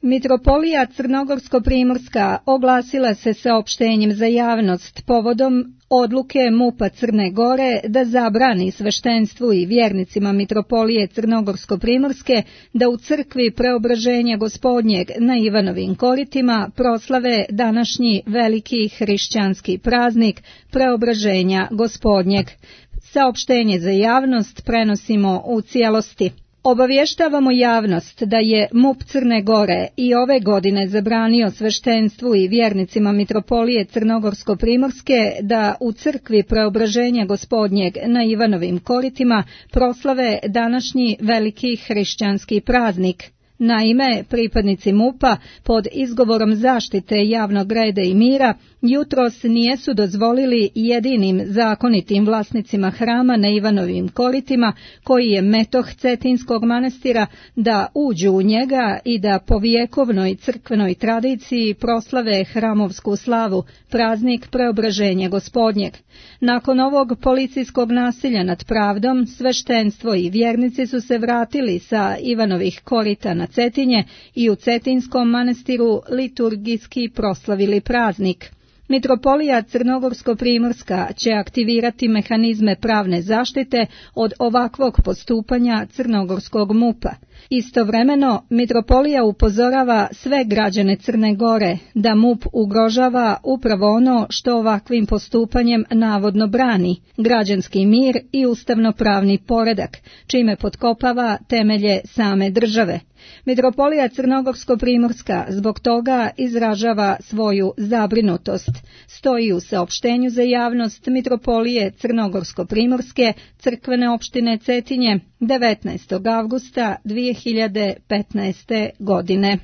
Mitropolija Crnogorsko-primorska oglasila se saopštenjem za javnost povodom odluke MUP-a Crne Gore da zabrani sveštenstvu i vjernicima Mitropolije Crnogorsko-primorske da u crkvi Preobraženja Gospodnjeg na Ivanovim koritima proslave današnji veliki hrišćanski praznik Preobraženja Gospodnjeg. Saopštenje za javnost prenosimo u cijelosti. Obavještavamo javnost da je MUP Crne Gore i ove godine zabranio sveštenstvu i vjernicima Mitropolije Crnogorsko-primorske da u crkvi Preobraženja Gospodnjeg na Ivanovim koritima proslave današnji veliki hrišćanski praznik. Naime, pripadnici MUP-a pod izgovorom zaštite javnog reda i mira jutros nijesu dozvolili jedinim zakonitim vlasnicima hrama na Ivanovim koritima, koji je metoh Cetinskog manastira, da uđu u njega i da po vjekovnoj crkvenoj tradiciji proslave hramovsku slavu, praznik Preobraženja Gospodnjeg. Nakon ovog policijskog nasilja nad pravdom, sveštenstvo i vjernici su se vratili sa Ivanovih korita na Cetinje i u Cetinskom manastiru liturgijski proslavili praznik. Mitropolija Crnogorsko-primorska će aktivirati mehanizme pravne zaštite od ovakvog postupanja crnogorskog MUP-a. Istovremeno, Mitropolija upozorava sve građane Crne Gore da MUP ugrožava upravo ono što ovakvim postupanjem navodno brani, građanski mir i ustavno-pravni poredak, čime potkopava temelje same države. Mitropolija Crnogorsko-primorska zbog toga izražava svoju zabrinutost. Stoji u saopštenju za javnost Mitropolije Crnogorsko-primorske crkvene opštine Cetinje 19. avgusta 2015. godine.